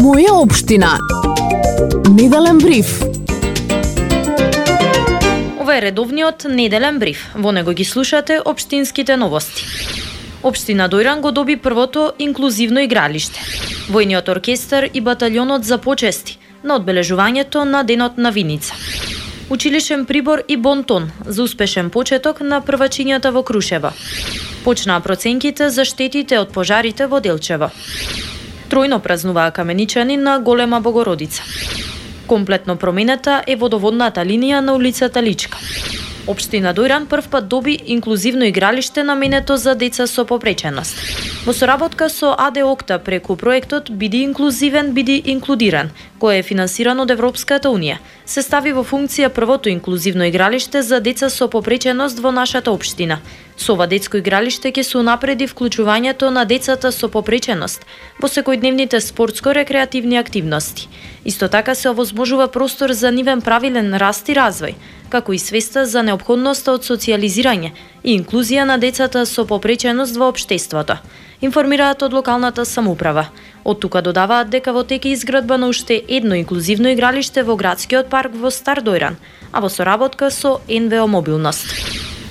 Моја општина. Неделен бриф. Ова е редовниот неделен бриф. Во него ги слушате општинските новости. Општина Дојран го доби првото инклузивно игралиште. Војниот оркестар и баталјонот за почести на одбележувањето на денот на Виница. Училишен прибор и бонтон за успешен почеток на првачињата во Крушево. Почнаа проценките за штетите од пожарите во Делчево. Тројно празнуваа каменичани на Голема Богородица. Комплетно променета е водоводната линија на улицата Личка. Општина Дојран првпат доби инклузивно игралиште наменето за деца со попреченост. Во соработка со АД Окта преку проектот Биди инклузивен, биди инклудиран, кој е финансиран од Европската Унија, се стави во функција првото инклузивно игралиште за деца со попреченост во нашата општина. Со ова детско игралиште ќе се унапреди вклучувањето на децата со попреченост во секојдневните спортско-рекреативни активности. Исто така се овозможува простор за нивен правилен раст и развој, како и свеста за неопходноста од социјализирање и инклузија на децата со попреченост во општеството, информираат од локалната самоуправа. Од тука додаваат дека во тек е изградба на уште едно инклузивно игралиште во градскиот парк во Стар Дојран, а во соработка со НВО Мобилност.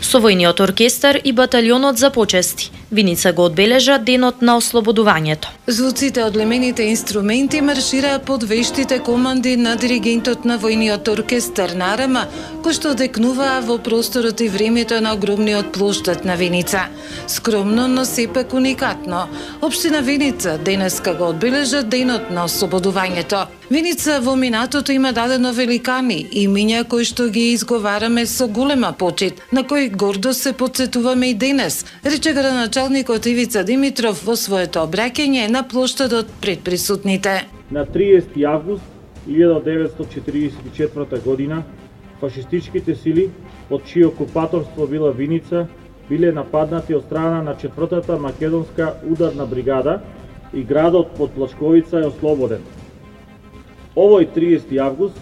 Со војниот оркестар и баталјонот за почести, Виница го одбележа денот на ослободувањето. Звуците од лемените инструменти маршираа под вештите команди на диригентот на војниот оркестар Нарама, кој што декнуваа во просторот и времето на огромниот плоштад на Виница. Скромно, но сепак уникатно. Општина Виница денеска го одбележа денот на ослободувањето. Виница во минатото има дадено великани, имиња кои што ги изговараме со голема почит, на кои гордо се потсетуваме и денес, рече градоначалникот Ивица Димитров во своето обраќање на плоштадот пред присутните. На 30 август 1944 година фашистичките сили, под чие окупаторство била Виница, биле нападнати од страна на 4-та македонска ударна бригада и градот под Плачковица е ослободен. Овој 30 август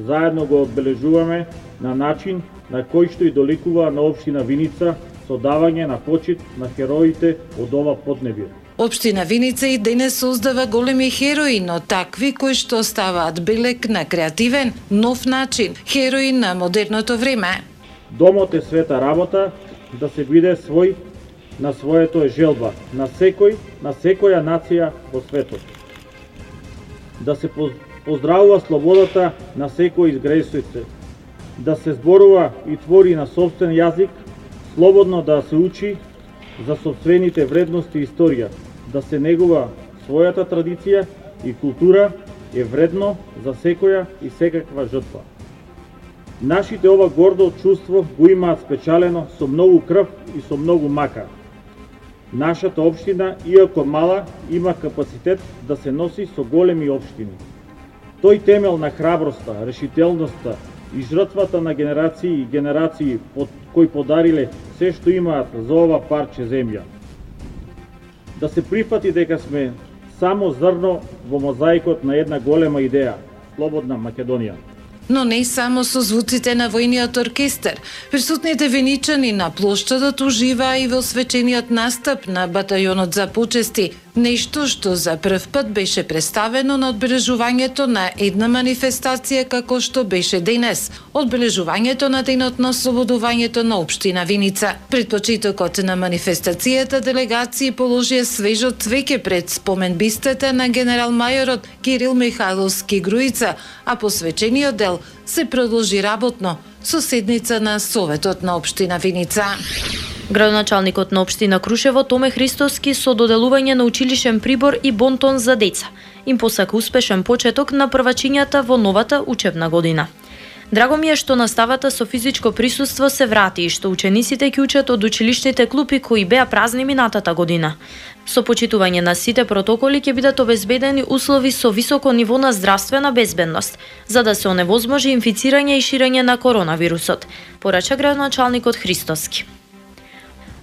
заедно го одбележуваме на начин на кој што и доликува на општина Виница со давање на почит на хероите од ова поднебие. Општина Виница и денес создава големи херои, но такви кои што ставаат белег на креативен, нов начин, херои на модерното време. Домот е света работа, да се биде свој на своето е желба, на секоја нација во светот. Да се поздравува слободата на секој изгресојце, да се зборува и твори на сопствен јазик, слободно да се учи за сопствените вредности и историја, да се негува својата традиција и култура е вредно за секоја и секаква жртва. Нашите ова гордо чувство го имаат спечалено со многу крв и со многу мака. Нашата општина, иако мала, има капацитет да се носи со големи општини. Тој темел на храброста, решителноста и жртвата на генерации и генерации кои подариле се што имаат за ова парче земја. Да се прифати дека сме само зрно во мозаикот на една голема идеја, слободна Македонија. Но не само со звуците на војниот оркестар. Присутните виничани на плоштадот уживаа и во свечениот настап на батајонот за почести, нешто што за прв пат беше представено на одбележувањето на една манифестација како што беше денес, одбележувањето на денот на ослободувањето на општина Виница. Пред почетокот на манифестацијата делегации положија свежо цвеќе пред споменбистата на генерал-мајорот Кирил Михајловски Груица, а посвечениот дел се продолжи работно со седница на Советот на општина Виница. Градоначалникот на општина Крушево Томе Христоски со доделување на училишен прибор и бонтон за деца им посака успешен почеток на првачињата во новата учебна година. Драго ми е што наставата со физичко присуство се врати и што учениците ќе учат од училишните клупи кои беа празни минатата година. Со почитување на сите протоколи ќе бидат обезбедени услови со високо ниво на здравствена безбедност, за да се оневозможи инфицирање и ширење на коронавирусот, порача градоначалникот Христоски.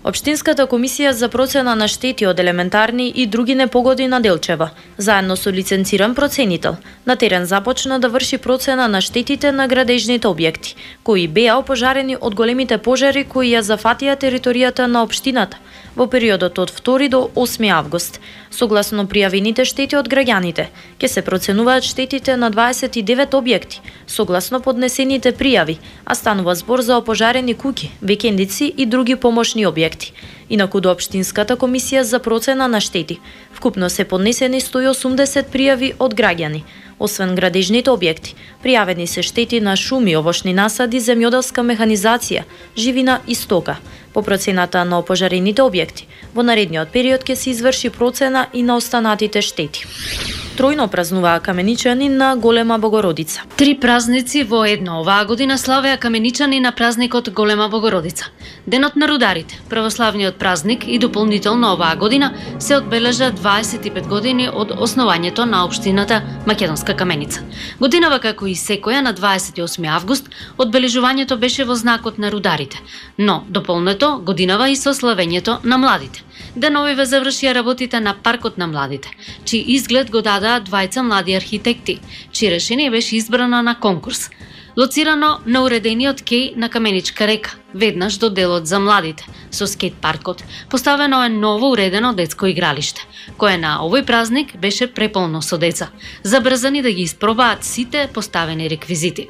Општинската комисија за процена на штети од елементарни и други непогоди на Делчева, заедно со лиценциран проценител, на терен започна да врши процена на штетите на градежните објекти, кои беа опожарени од големите пожари кои ја зафатија територијата на општината во периодот од 2 до 8 август. Согласно пријавените штети од граѓаните, ќе се проценуваат штетите на 29 објекти, согласно поднесените пријави, а станува збор за опожарени куќи, викендици и други помошни објекти. Инаку до Општинската комисија за процена на штети, вкупно се поднесени 180 пријави од граѓани. Освен градежните објекти, пријавени се штети на шуми, овошни насади, земјоделска механизација, живина и стока. По процената на опожарените објекти, во наредниот период ќе се изврши процена и на останатите штети. Тројно празнуваа каменичани на Голема Богородица. 3 празници во едно оваа година славеа каменичани на празникот Голема Богородица. Денот на рударите, православниот празник и дополнително оваа година, се одбележа 25 години од основањето на општината Македонска Каменица. Годинава како и секоја на 28 август, одбележувањето беше во знакот на рударите, но дополнето годинава и со славењето на младите. Деновиве завршија работите на Паркот на младите, чиј изглед го дадаа двајца млади архитекти, чие решение беше избрано на конкурс. Лоцирано на уредениот кеј на Каменичка река, веднаш до делот за младите, со скейт паркот, поставено е ново уредено детско игралиште, кое на овој празник беше преполно со деца, забрзани да ги испробаат сите поставени реквизити.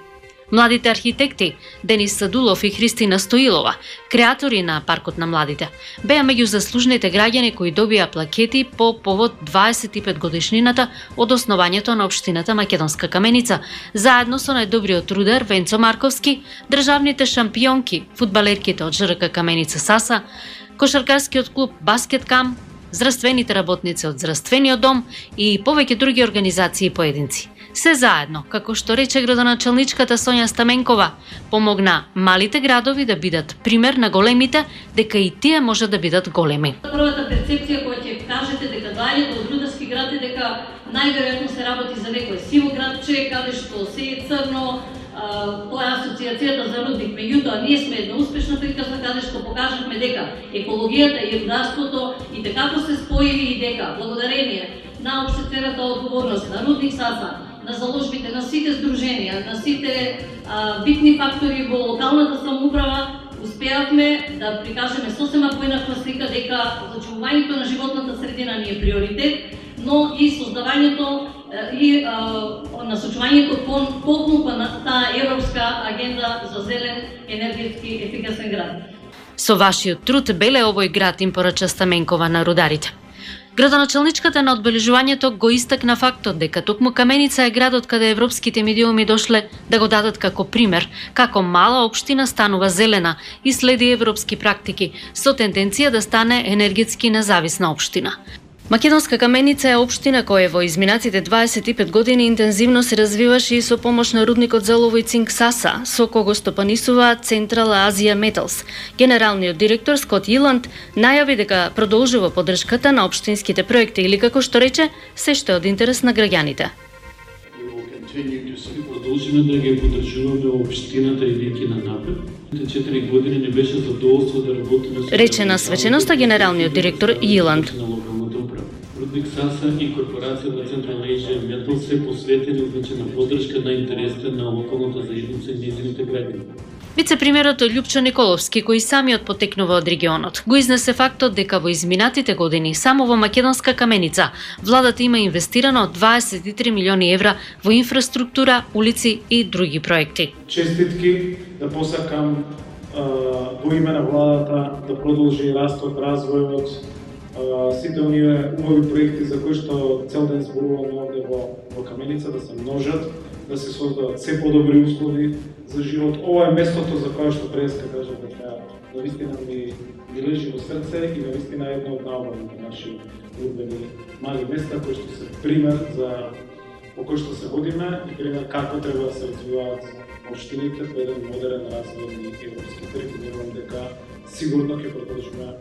Младите архитекти Денис Садулов и Христина Стоилова, креатори на Паркот на младите, беа меѓу заслужните граѓани кои добија плакети по повод 25 годишнината од основањето на општината Македонска Каменица, заедно со најдобриот рудар Венцо Марковски, државните шампионки, фудбалерките од ЖРК Каменица Саса, кошаркарскиот клуб Баскет Кам, здравствените работници од здравствениот дом и повеќе други организации и поединци. Се заедно, како што рече градоначалничката Сонја Стаменкова, помогна малите градови да бидат пример на големите, дека и тие може да бидат големи. Првата перцепција која ќе кажете дека доаѓате од рударски град е дека најверојатно се работи за некој сиво градче, каде што се е црно, тоа е асоциацијата за рудник. Меѓутоа, ние сме една успешна приказна каде што покажавме дека екологијата и рударството и дека се споили и дека благодарение на општествената одговорност на Рудник Саса, на заложбите на сите здруженија, на сите битни фактори во локалната самоуправа, успеавме да прикажеме сосема поинаква слика дека зачувувањето на животната средина ни е приоритет, но и создавањето и насочувањето поклопа на таа европска агенда за зелен енергетски ефикасен град. Со вашиот труд беле овој град, им порача Стаменкова на рударите. Градоначалничката на одбележувањето го истакна фактот дека токму Каменица е градот каде европските медиуми дошле да го дадат како пример, како мала општина станува зелена и следи европски практики, со тенденција да стане енергетски независна општина. Македонска Каменица е општина која во изминатите 25 години интензивно се развиваше и со помош на рудникот за олово и цинк Саса, со кого стопанисува Централ Азија Металс. Генералниот директор Скот Иланд најави дека продолжува поддршката на општинските проекти или, како што рече, се што е од интерес на граѓаните. Продолжиме да ги поддржуваме општината идејќи на напред. 4 години не беше задоволство да работиме со... Рече на свеченоста генералниот директор Иланд. Рудник Саса и корпорацијата Централ Азија Метал се посветени на поддршка на интересите на локалната заедница и нејзините граѓани. Вице-премиерот Љупчо Николовски, кој самиот потекнува од регионот, го изнесе фактот дека во изминатите години само во Македонска Каменица владата има инвестирано 23 милиони евра во инфраструктура, улици и други проекти. Честитки да посакам во име на владата да продолжи растот, развојот, сите оние убави проекти за кои што цел ден зборуваме овде во Каменица да се множат, да се создадат се подобри услови за живот. Ова е местото за кое што преска кажа дека навистина ми лежи во срце и навистина е едно од најубавите наши урбени мали места кои што се пример за по кој што се водиме и пример како треба да се развиваат општините по еден модерен развојни европски пат. Верувам дека сигурно ќе продолжиме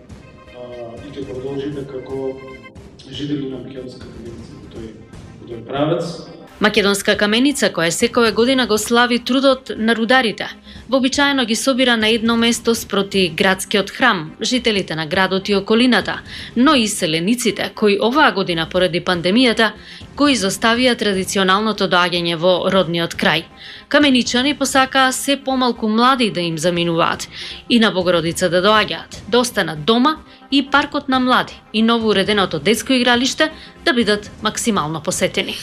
и ќе продолжите како жители на Македонска Каменица во тој правец. Македонска каменица, која секоја година го слави трудот на рударите, вообичаено ги собира на едно место спроти градскиот храм, жителите на градот и околината, но и селениците, кои оваа година поради пандемијата го изоставија традиционалното доаѓање во родниот крај. Каменичани посакаа се помалку млади да им заминуваат и на Богородица да доаѓаат, да останат дома и паркот на млади и ново уреденото детско игралиште да бидат максимално посетени.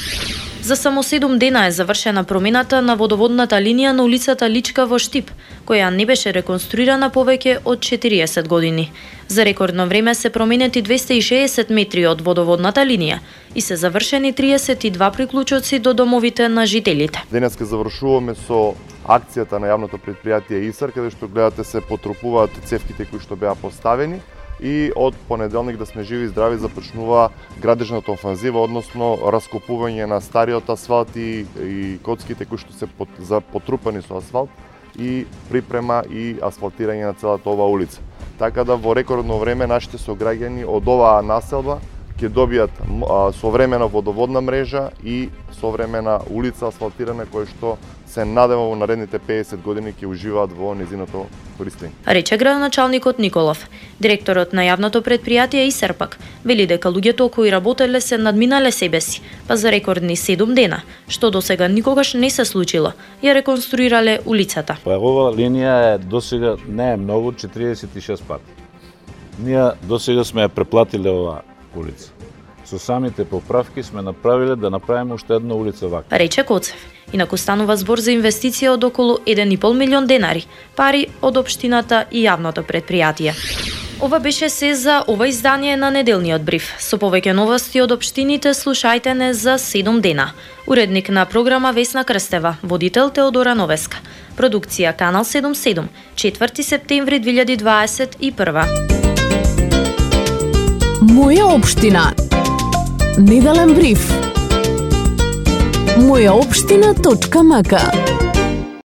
За само 7 дена е завршена промената на водоводната линија на улицата Личка во Штип, која не беше реконструирана повеќе од 40 години. За рекордно време се променети 260 метри од водоводната линија и се завршени 32 приклучоци до домовите на жителите. Денеска завршуваме со акцијата на јавното предпријатие ИСАР, каде што гледате се потрупуваат цевките кои што беа поставени. И од понеделник да сме живи и здрави започнува градежната офанзива, односно раскопување на стариот асфалт и коцките кои што се потрупани со асфалт и припрема и асфалтирање на целата оваа улица. Така да во рекордно време нашите сограѓани од оваа населба ќе добијат современа водоводна мрежа и современа улица асфалтирана која што се надева во наредните 50 години ќе уживаат во незиното користење. Рече градоначалникот Николов. Директорот на јавното предпријатие ИСАР пак вели дека луѓето кои работеле се надминале себе си, па за рекордни 7 дена, што досега никогаш не се случило, ја реконструирале улицата. Па оваа линија досега не е многу, 46 пати. Ние досега сме ја преплатиле оваа улица. Со самите поправки сме направиле да направиме уште една улица вака. Рече Коцев. Инаку станува збор за инвестиција од околу 1,5 милион денари, пари од општината и јавното предпријатие. Ова беше се за ова издание на неделниот бриф. Со повеќе новости од општините слушајте не за 7 дена. Уредник на програма Весна Крстева, водител Теодора Новеска. Продукција Канал 77, 4 септември 2021. Моја општина. Неделен бриф. Мојаопштина.мк